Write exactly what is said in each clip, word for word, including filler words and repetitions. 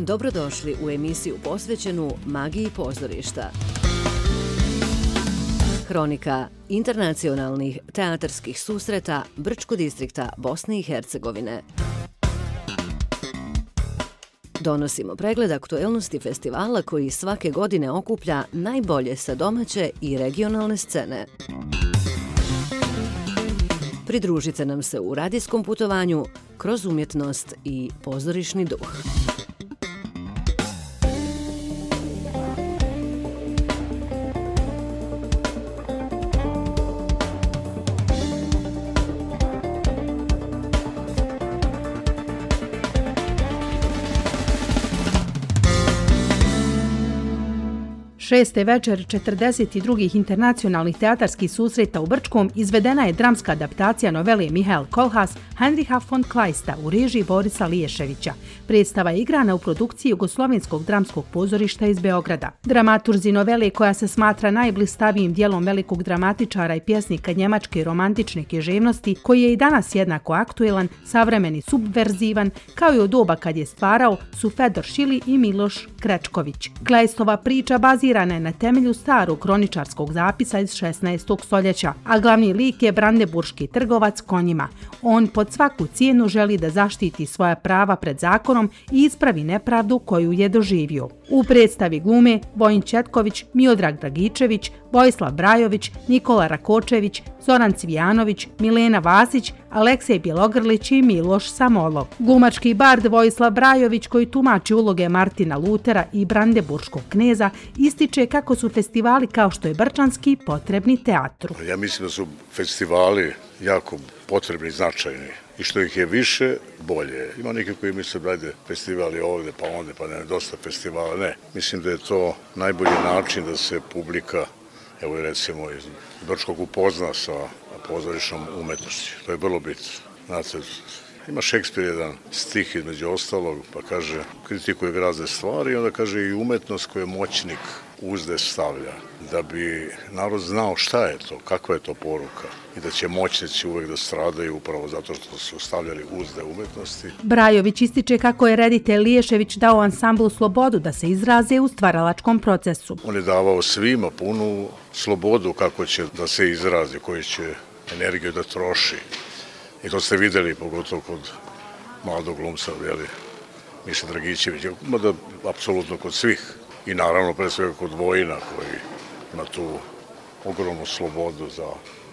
Dobrodošli u emisiju posvećenu magiji pozorišta. Hronika internacionalnih teatarskih susreta Brčko distrikta Bosne i Hercegovine. Donosimo pregled aktuelnosti festivala koji svake godine okuplja najbolje sa domaće i regionalne scene. Pridružite nam se u radijskom putovanju kroz umjetnost i pozorišni duh. Šeste večer četrdeset drugih internacionalnih teatarskih susreta u Brčkom izvedena je dramska adaptacija novele Mihael Kohlhaas Heinricha von Kleista u režiji Borisa Liješevića. Predstava je igrana u produkciji Jugoslovenskog dramskog pozorišta iz Beograda. Dramaturzi novele, koja se smatra najblistavijim dijelom velikog dramatičara i pjesnika njemačke romantične književnosti, koji je i danas jednako aktuelan, savremeni, subverzivan, kao i u doba kad je stvarao, su Fedor Šili i Miloš Krečković. Kleistova priča bazira je na temelju starog kroničarskog zapisa iz šesnaestog stoljeća, a glavni lik je brandeburški trgovac konjima. On pod svaku cijenu želi da zaštiti svoja prava pred zakonom i ispravi nepravdu koju je doživio. U predstavi glume Vojin Četković, Miodrag Dragičević, Vojislav Brajović, Nikola Rakočević, Zoran Cvijanović, Milena Vasić, Aleksej Bjelogrlić i Miloš Samolov. Glumački bard Vojislav Brajović, koji tumači uloge Martina Lutera i brandeburškog kneza, ističe kako su festivali kao što je Brčanski potrebni teatru. Ja mislim da su festivali jako potrebni i značajni. I što ih je više, bolje. Ima neki koji misle da ajde festivali ovde pa onda, pa ne, dosta festivala. Ne, mislim da je to najbolji način da se publika, evo i recimo iz Brčkog, upozna sa pozorišnom umetnošću. To je vrlo bitno. Znate, ima Šekspir jedan stih između ostalog, pa kaže, kritikuje razne stvari i onda kaže i umetnost koju moćnik uzde stavlja. Da bi narod znao šta je to, kakva je to poruka i da će moćnici uvek da stradaju upravo zato što su stavljali uzde umetnosti. Brajović ističe kako je reditelj Liješević dao ansamblu slobodu da se izraze u stvaralačkom procesu. On je davao svima punu slobodu kako će da se izrazi, koju će energiju da troši. I to ste videli pogotovo kod mladog glumca, jeli, Miša Dragičevića, mada apsolutno kod svih. I naravno pre svega kod Vojina koji ima tu ogromnu slobodu za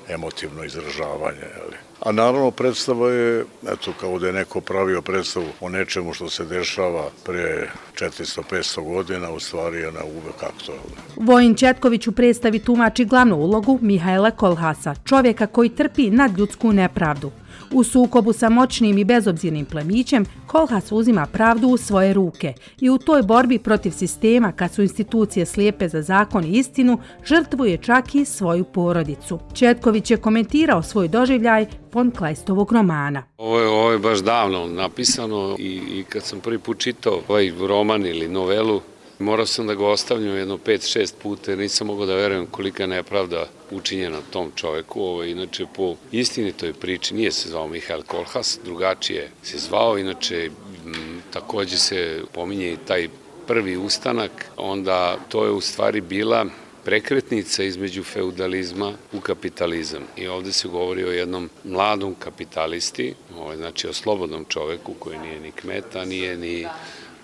emotivno izražavanje. Jeli. A naravno predstava je, eto kao da je neko pravio predstavu o nečemu što se dešava pre četiristo do petsto godina, u stvari je na uvek aktualna. Vojin Četković u predstavi tumači glavnu ulogu Mihaela Kohlhaasa, čovjeka koji trpi nadljudsku nepravdu. U sukobu sa moćnim i bezobzirnim plemićem, Kohlhaas uzima pravdu u svoje ruke i u toj borbi protiv sistema, kad su institucije slijepe za zakon i istinu, žrtvuje čak i svoju porodicu. Četković je komentirao svoj doživljaj von Kleistovog romana. Ovo je, ovo je baš davno napisano i, i kad sam prvi put čitao ovaj roman ili novelu, morao sam da ga ostavljam jedno pet šest puta jer nisam mogao da verujem kolika je nepravda učinjena tom čoveku. Ovo je inače po istinitoj priči, nije se zvao Mihael Kohlhaas, drugačije se zvao, inače m, takođe se pominje i taj prvi ustanak, onda to je u stvari bila prekretnica između feudalizma u kapitalizam. I ovde se govori o jednom mladom kapitalisti, ovaj, znači o slobodnom čoveku koji nije ni kmeta, nije ni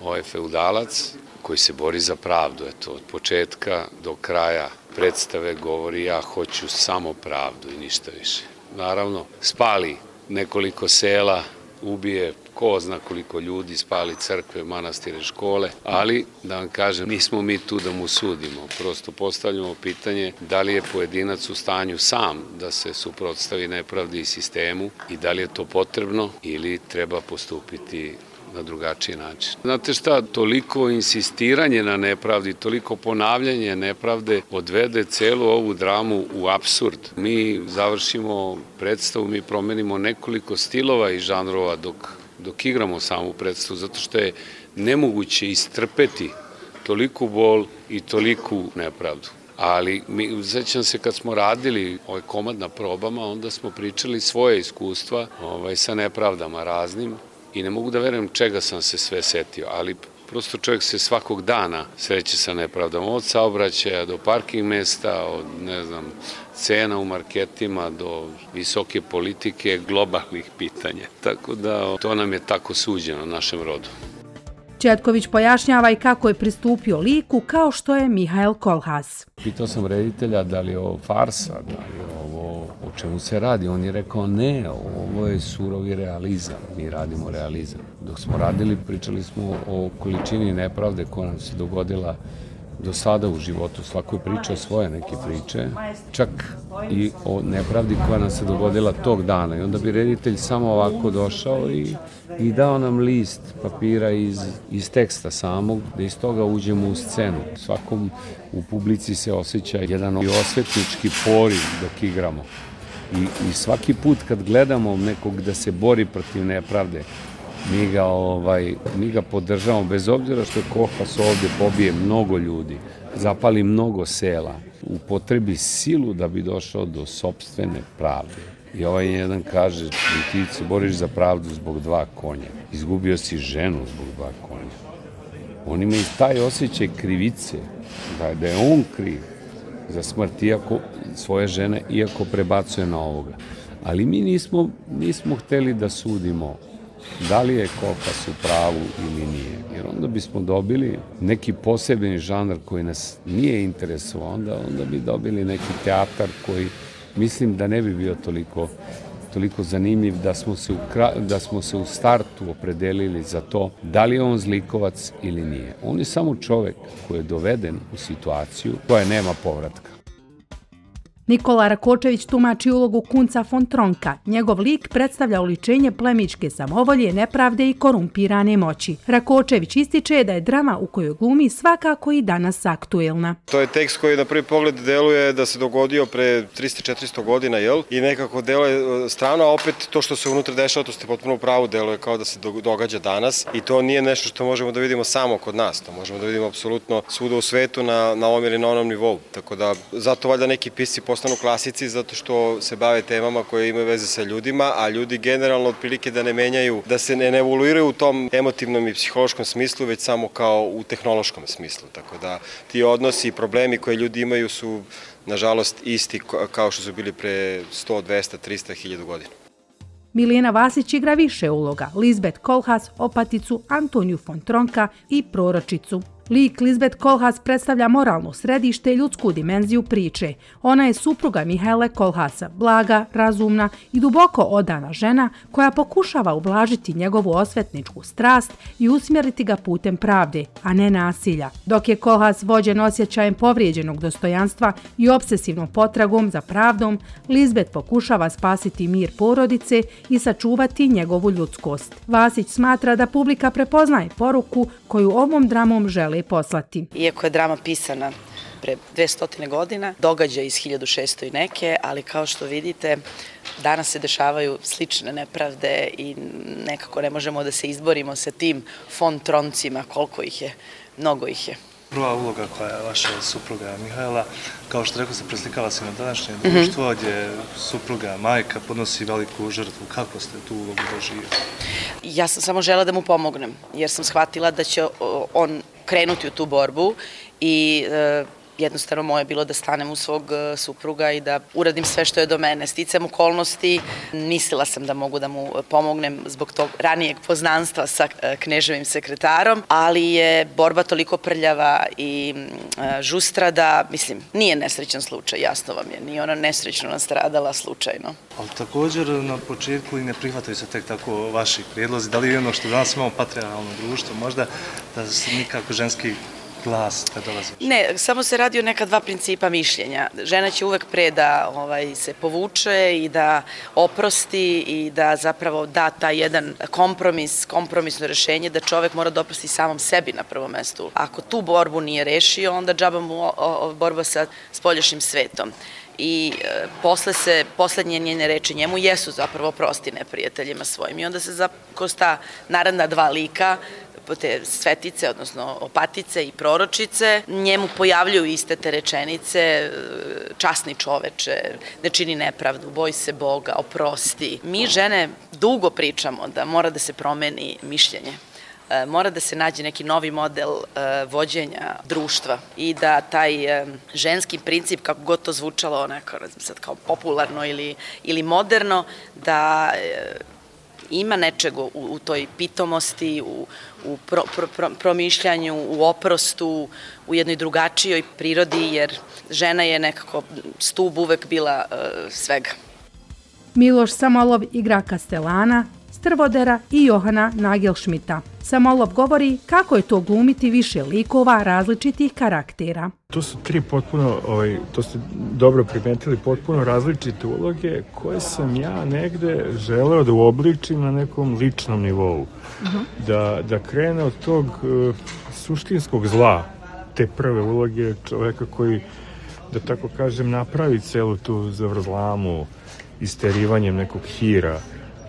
ovaj feudalac, koji se bori za pravdu. Eto, od početka do kraja predstave govori ja hoću samo pravdu i ništa više. Naravno, spali nekoliko sela, ubije ko zna koliko ljudi, spali crkve, manastire, škole, ali da vam kažem, nismo mi tu da mu sudimo. Prosto postavljamo pitanje da li je pojedinac u stanju sam da se suprotstavi nepravdi i sistemu i da li je to potrebno ili treba postupiti na drugačiji način. Znate šta, toliko insistiranje na nepravdi, toliko ponavljanje nepravde odvede celu ovu dramu u apsurd. Mi završimo predstavu, mi promenimo nekoliko stilova i žanrova dok, dok igramo samu predstavu, zato što je nemoguće istrpeti toliku bol i toliku nepravdu. Ali mi, sećam se kad smo radili ovaj komad na probama, onda smo pričali svoje iskustva ovaj, sa nepravdama raznim i ne mogu da verujem čega sam se sve setio, ali Prosto čovjek se svakog dana sreće sa nepravdama, od saobraćaja do parking mesta, od, ne znam, cena u marketima do visoke politike, globalnih pitanja. Tako da to nam je tako suđeno našem rodu. Četković pojašnjava i kako je pristupio liku kao što je Mihael Kohlhaas. Pitao sam reditelja da li je ovo farsa, da li je ovo o čemu se radi. On je rekao ne, ovo je surovi realizam, mi radimo realizam. Dok smo radili, pričali smo o količini nepravde koja nam se dogodila do sada u životu. Svako je pričao svoje neke priče, čak i o nepravdi koja nam se dogodila tog dana. I onda bi reditelj samo ovako došao i, i dao nam list papira iz, iz teksta samog, da iz toga uđemo u scenu. Svakom u publici se osjeća jedan osvetnički poriv dok igramo. I, i svaki put kad gledamo nekog da se bori protiv nepravde, Mi ga, ovaj, mi ga podržavamo, bez obzira što je Kohlhaas ovdje pobije mnogo ljudi, zapali mnogo sela, upotrebi silu da bi došao do sopstvene pravde. I ovaj jedan kaže, ti se boriš za pravdu zbog dva konja, izgubio si ženu zbog dva konja. On ima i taj osjećaj krivice, da, da je on kriv za smrt iako, svoje žene, iako prebacuje na ovoga. Ali mi nismo, nismo hteli da sudimo da li je Kohlhaas u pravu ili nije. Jer onda bismo dobili neki posebni žanr koji nas nije interesovao, onda, onda bi dobili neki teatar koji mislim da ne bi bio toliko, toliko zanimljiv da smo, se u, da smo se u startu opredelili za to da li je on zlikovac ili nije. On je samo čovek koji je doveden u situaciju koja nema povratka. Nikola Rakočević tumači ulogu Kunca von Tronka. Njegov lik predstavlja oličenje plemićke samovolje, nepravde i korumpirane moći. Rakočević ističe da je drama u kojoj glumi svakako i danas aktuelna. To je tekst koji na prvi pogled deluje da se dogodio pre trista četiristo godina, jel? I nekako deluje strano, a opet to što se unutra dešava, to ste potpuno u pravu, deluje kao da se događa danas. I to nije nešto što možemo da vidimo samo kod nas, to možemo da vidimo apsolutno svuda u svetu na, na ovom ili na onom nivou. Tako da, zato valjda neki pisci postanu klasici zato što se bave temama koje imaju veze sa ljudima, a ljudi generalno otprilike da ne menjaju, da se ne evoluiraju u tom emotivnom i psihološkom smislu, već samo kao u tehnološkom smislu. Tako da ti odnosi i problemi koje ljudi imaju su, nažalost, isti kao što su bili pre sto, dvesta, trista, hiljadu godina. Milijana Vasić igra više uloga, Lisbeth Kohlhaas, opaticu, Antoniju von Tronka i proročicu. Lik Lisbeth Kohlhaas predstavlja moralno središte i ljudsku dimenziju priče. Ona je supruga Mihaela Kohlhaasa, blaga, razumna i duboko odana žena koja pokušava ublažiti njegovu osvetničku strast i usmjeriti ga putem pravde, a ne nasilja. Dok je Kohlhaas vođen osjećajem povrijeđenog dostojanstva i obsesivnom potragom za pravdom, Lisbeth pokušava spasiti mir porodice i sačuvati njegovu ljudskost. Vasić smatra da publika prepoznaje poruku koju ovom dramom žele poslati. Iako je drama pisana pre dvesta godina, događa iz hiljadu šesto i neke, ali kao što vidite, danas se dešavaju slične nepravde i nekako ne možemo da se izborimo sa tim von Troncima, koliko ih je, mnogo ih je. Prva uloga koja je vaša supruga Mihaela, kao što rekao se, preslikava se na današnje društvo, gdje supruga, majka podnosi veliku žrtvu. Kako ste tu ulogu doživjeli? Ja sam samo žela da mu pomognem, jer sam shvatila da će on krenuti u tu borbu i jednostavno moje je bilo da stanem u svog supruga i da uradim sve što je do mene. Sticam okolnosti, mislila sam da mogu da mu pomognem zbog tog ranijeg poznanstva sa kneževim sekretarom, ali je borba toliko prljava i žustra da, mislim, nije nesrećan slučaj, jasno vam je, nije ona nesrećno nastradala slučajno. Ali također na početku i ne prihvataju se tek tako vaši prijedlozi. Da li je ono što danas imamo patrijarhalno društvo, možda da se nikako ženski glas kad dolazi? Ne, samo se radi o neka dva principa mišljenja. Žena će uvek pre da ovaj, se povuče i da oprosti i da zapravo da taj jedan kompromis, kompromisno rešenje da čovek mora da oprosti samom sebi na prvom mestu. Ako tu borbu nije rešio, onda džaba mu o, o, borba sa spoljašnjim svetom. I e, posle se, poslednje njene reči njemu jesu zapravo prosti neprijateljima svojim. I onda se za, kroz ta naravna dva lika, te svetice, odnosno opatice i proročice, njemu pojavljuju iste te rečenice, časni čoveče, ne čini nepravdu, boj se Boga, oprosti. Mi žene dugo pričamo da mora da se promeni mišljenje. mora da se nađe neki novi model vođenja društva i da taj ženski princip, kako god to zvučalo onako, sad kao popularno ili, ili moderno, da ima nečeg u, u toj pitomosti, u, u pro, pro, pro, promišljanju, u oprostu, u jednoj drugačijoj prirodi, jer žena je nekako stub uvek bila uh, svega. Miloš Samolov igra Kastelana, Strvodera i Johana Nagelšmita. Samolov govori kako je to glumiti više likova različitih karaktera. To su tri potpuno, ovaj, to ste dobro primetili, potpuno različite uloge koje sam ja negde želeo da uobličim na nekom ličnom nivou. Uh-huh. Da, da krene od tog uh, suštinskog zla, te prve uloge čoveka koji, da tako kažem, napravi celu tu zavrzlamu isterivanjem nekog hira.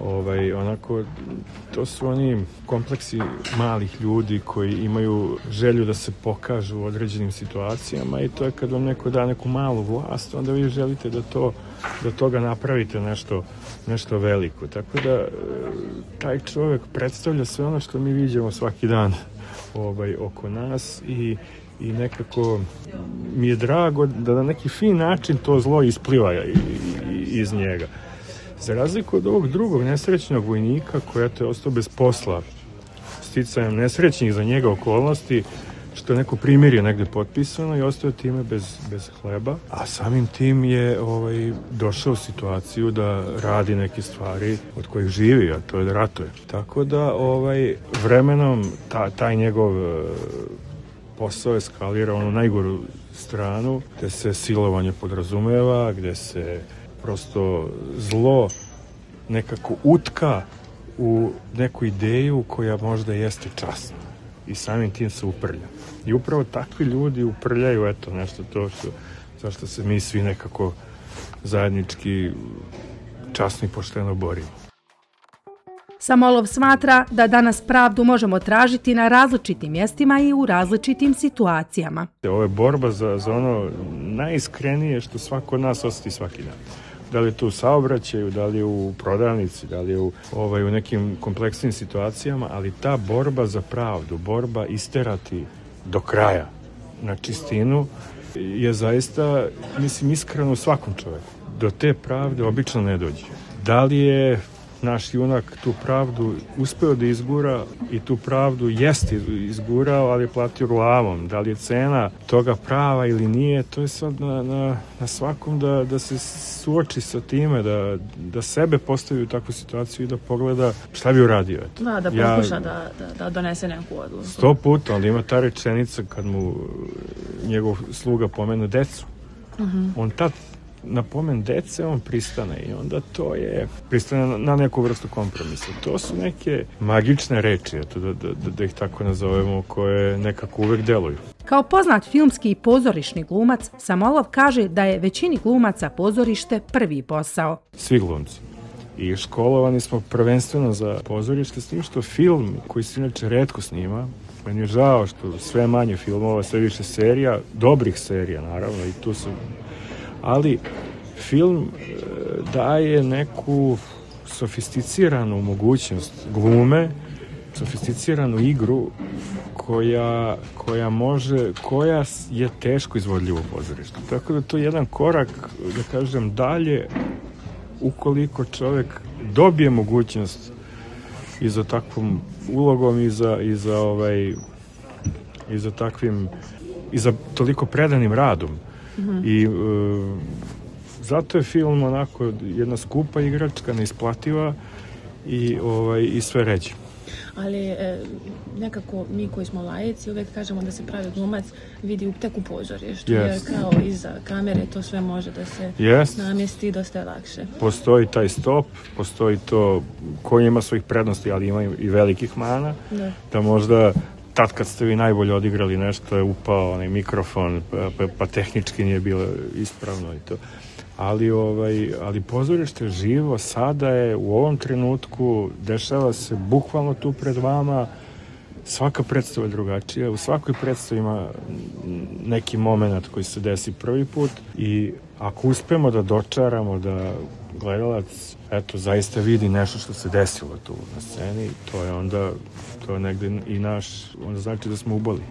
Ovaj, onako, to su oni kompleksi malih ljudi koji imaju želju da se pokažu u određenim situacijama i to je kad vam neko da neku malu vlast, onda vi želite da to, da toga napravite nešto, nešto veliko. Tako da taj čovjek predstavlja sve ono što mi viđamo svaki dan ovaj, oko nas i i nekako mi je drago da na neki fin način to zlo ispliva iz njega. Za razliku od ovog drugog nesrećnog vojnika koja je ostao bez posla, sticajem nesrećnih za njega okolnosti, što je neko primirje negde potpisano i ostao time bez, bez hleba, a samim tim je ovaj, došao u situaciju da radi neke stvari od kojih živi, a to je da ratuje. Tako da ovaj, vremenom ta, taj njegov posao eskalira onu najgoru stranu, gde se silovanje podrazumeva, gde se prosto zlo nekako utka u neku ideju koja možda jeste časna i samim tim se uprlja. I upravo takvi ljudi uprljaju eto nešto to što, zašto se mi svi nekako zajednički časno i pošteno borimo. Samolov smatra da danas pravdu možemo tražiti na različitim mjestima i u različitim situacijama. Ovo je borba za, za ono najiskrenije što svako od nas osjeti svaki dan. Da li je to u saobraćaju, da li je u prodavnici, da li je u, ovaj, u nekim kompleksnim situacijama, ali ta borba za pravdu, borba isterati do kraja na čistinu je zaista, mislim, iskreno u svakom čoveku. Do te pravde obično ne dođe. Da li je naš junak tu pravdu uspeo da izgura i tu pravdu jeste izgurao, ali je platio glavom. Da li je cena toga prava ili nije, to je sad na, na, na svakom da, da se suoči sa time, da, da sebe postavi u takvu situaciju i da pogleda šta bi uradio. Eto. Da, da pokuša ja, da, da, da donese neku odluku. Sto puta, ali ima ta rečenica kad mu njegov sluga pomene decu. Uh-huh. On tad na pomen dece on pristane i onda to je pristane na neku vrstu kompromisa. To su neke magične reči, eto, da, da, da ih tako nazovemo, koje nekako uvek deluju. Kao poznat filmski i pozorišni glumac, Samolov kaže da je većini glumaca pozorište prvi posao. Svi glumci. I školovani smo prvenstveno za pozorište, s tim što film, koji se inače retko snima, meni je žao što sve manje filmova, sve više serija, dobrih serija naravno, i tu su, ali film daje neku sofisticiranu mogućnost glume, sofisticiranu igru koja, koja može, koja je teško izvodljiva u pozorištu. Tako da to je jedan korak, da kažem, dalje, ukoliko čovjek dobije mogućnost i za takvom ulogom i za, i za, ovaj, i za takvim, i za toliko predanim radom. Mm-hmm. I e, zato je film onako jedna skupa igračka, neisplativa i, ovaj, i sve ređe. Ali e, nekako mi koji smo laici uvek kažemo da se pravi glumac vidi tek u pozorištu, yes. Jer kao iza kamere to sve može da se yes. namjesti dosta lakše. Postoji taj stop, postoji to koji ima svojih prednosti, ali ima i velikih mana, da, da možda tad kad ste vi najbolje odigrali nešto je upao onaj mikrofon, pa, pa tehnički nije bilo ispravno i to. Ali, ovaj, ali pozorište živo, sada je u ovom trenutku, dešava se bukvalno tu pred vama, svaka predstava je drugačija, u svakoj predstavi ima neki moment koji se desi prvi put i ako uspemo da dočaramo da gledalac eto, zaista vidi nešto što se desilo tu na sceni, to je onda to je negde i naš, onda znači da smo uboli.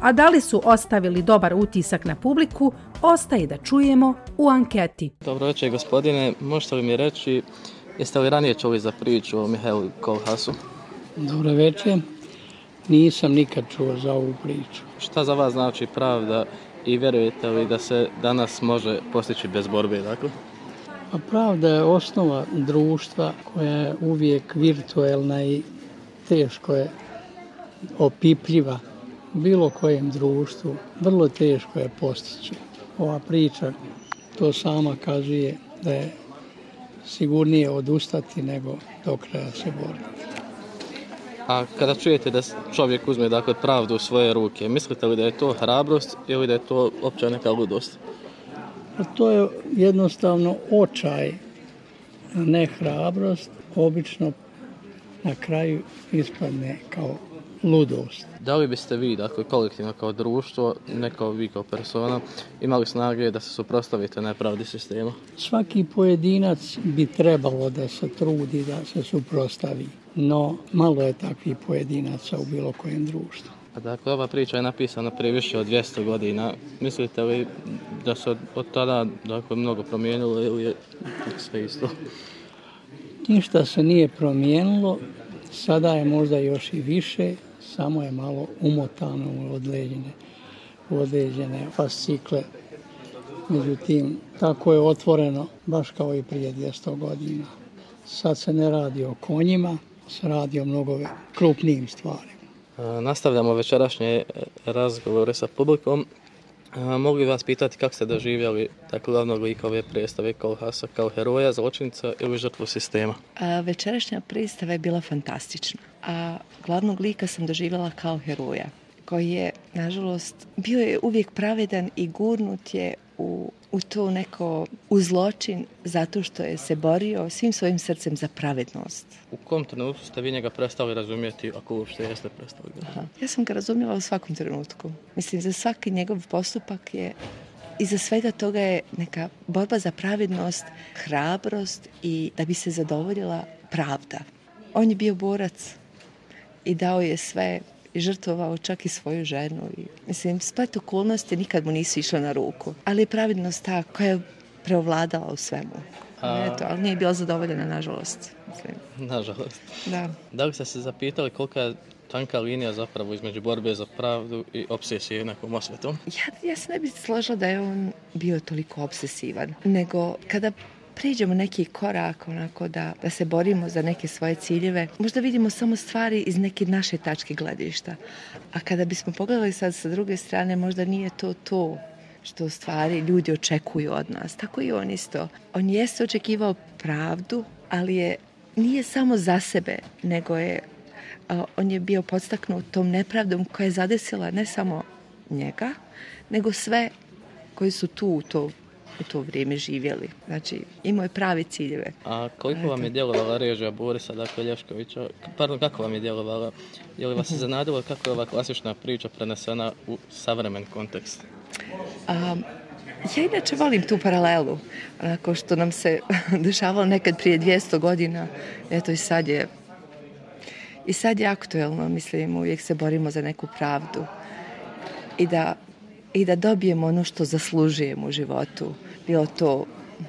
A da li su ostavili dobar utisak na publiku, ostaje da čujemo u anketi. Dobro večer, gospodine. Možete li mi reći, jeste li ranije čuli za priču o Mihajlu Kolhasu? Dobro večer. Nisam nikad čuo za ovu priču. Šta za vas znači pravda i vjerujete li da se danas može postići bez borbe? Dakle? A pravda je osnova društva koja je uvijek virtuelna i teško je opipljiva. U bilo kojem društvu vrlo teško je postići. Ova priča to sama kazuje da je sigurnije odustati nego do kraja se boriti. A kada čujete da čovjek uzme dakle, pravdu u svoje ruke, mislite li da je to hrabrost ili da je to opća neka ludost? A to je jednostavno očaj, ne hrabrost. Obično na kraju ispadne kao ludost. Da li biste vi, dakle, kolektivno kao društvo, ne kao vi kao persona, imali snage da se suprotstavite nepravdi sistema? Svaki pojedinac bi trebalo da se trudi da se suprotstavi, no malo je takvih pojedinaca u bilo kojem društvu. A dakle, ova priča je napisana prije više od dvjesto godina. Mislite li da se od, od tada dakle, mnogo promijenilo ili je sve isto? Ništa se nije promijenilo, sada je možda još i više, samo je malo umotano u određene, u određene fascikle. Međutim, tako je otvoreno, baš kao i prije dvjesto godina. Sad se ne radi o konjima, se radi o mnogo krupnijim stvarima. Nastavljamo večerašnje razgovore sa publikom. Mogu vas pitati kako ste doživjeli tako glavnog lika ove predstave Kolhasa kao heroja, zločinca ili žrtvu sistema? A, večerašnja predstava je bila fantastična, a glavnog lika sam doživjela kao heroja, koji je, nažalost, bio je uvijek pravedan i gurnut je u, u to neko u zločin zato što je se borio svim svojim srcem za pravednost. U kom trenutku ste vi njega prestali razumjeti, ako uopšte jeste prestali? Aha. Ja sam ga razumjela u svakom trenutku. Mislim, za svaki njegov postupak je iza svega toga je neka borba za pravednost, hrabrost i da bi se zadovoljila pravda. On je bio borac i dao je sve i žrtvovao čak i svoju ženu. I, mislim, splet okolnosti nikad mu nisu išle na ruku. Ali je pravednost ta koja je preovladala u svemu. A... Eto, ali nije bila zadovoljena, nažalost. Mislim. Nažalost. Da. Da li ste se zapitali kolika je tanka linija zapravo između borbe za pravdu i obsesije nekom osvetom? Ja, ja se ne bih složila da je on bio toliko obsesivan. Nego kada priđemo neki korak onako da, da se borimo za neke svoje ciljeve, možda vidimo samo stvari iz neke naše tačke gledišta. A kada bismo pogledali sad sa druge strane, možda nije to to što u stvari ljudi očekuju od nas. Tako i on isto. On jeste očekivao pravdu, ali je nije samo za sebe, nego je a, on je bio podstaknut tom nepravdom koja je zadesila ne samo njega, nego sve koji su tu u to u to vrijeme živjeli. Znači, imao je pravi ciljeve. A koliko vam je djelovala režija Borisa, dakle Lješkovića? Pardon, kako vam je djelovala? Je li vas iznenadilo kako je ova klasična priča prenesena u savremen kontekst? A, ja inače volim tu paralelu. Onako što nam se dešavalo nekad prije dvjesto godina. Eto i sad je i sad je aktuelno, mislim, uvijek se borimo za neku pravdu. I da i da dobijemo ono što zaslužujemo u životu. Bilo to,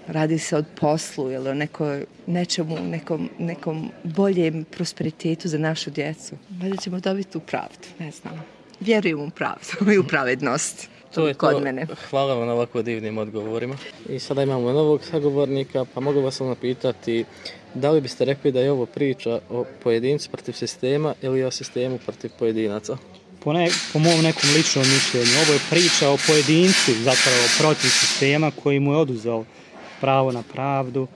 radi se od poslu ili o nekoj, nečemu, nekom, nekom boljem prosperitetu za našu djecu. Valjda ćemo dobiti tu pravdu, ne znam. Vjerujem u pravdu i u pravednost. To je kod to. Mene. Hvala vam na ovako divnim odgovorima. I sada imamo novog sagovornika, pa mogu vas samo pitati da li biste rekli da je ovo priča o pojedincu protiv sistema ili o sistemu protiv pojedinaca? Po, ne, po mom nekom ličnom mišljenju, ovo je priča o pojedincu, zapravo protiv sistema koji mu je oduzeo pravo na pravdu.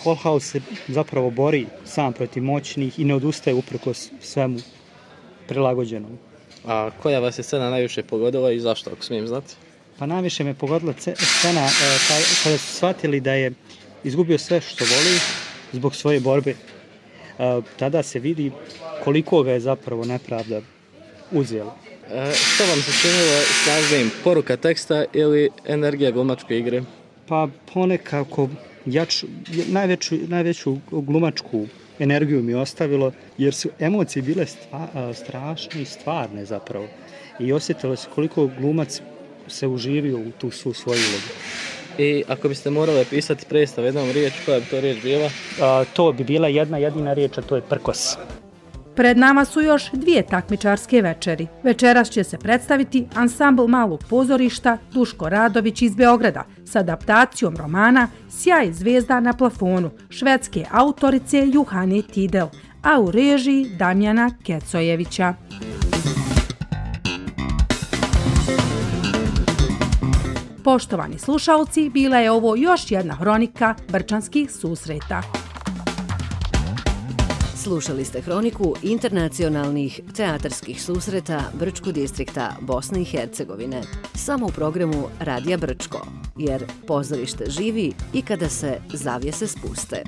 Kohlhaas se zapravo bori sam protiv moćnih i ne odustaje uprkos svemu prilagođenom. A koja vas je scena najviše pogodila i zašto, ako smijem znati? Pa najviše me pogodila scena kada su shvatili da je izgubio sve što voli zbog svoje borbe. Tada se vidi koliko ga je zapravo nepravda uzelo. E, što vam se činilo snažnijim, poruka teksta ili energija glumačke igre? Pa ponekako jač, najveću, najveću glumačku energiju mi je ostavilo, jer su emocije bile stva, strašne i stvarne zapravo. I osjetilo se koliko glumac se uživio u tu svu svoju ulogu. I ako biste morali pisati predstav jednom riječ, koja bi to riječ bila? A, to bi bila jedna jedina riječ, a to je prkos. Pred nama su još dvije takmičarske večeri. Večeras će se predstaviti ansambl Malog pozorišta Duško Radović iz Beograda s adaptacijom romana Sjaj zvezda na plafonu švedske autorice Juhane Tidel, a u režiji Damjana Kecojevića. Poštovani slušalci, bila je ovo još jedna hronika Brčanskih susreta. Slušali ste hroniku internacionalnih teatarskih susreta Brčkog distrikta Bosne i Hercegovine. Samo u programu Radija Brčko, jer pozorište živi i kada se zavjese spuste.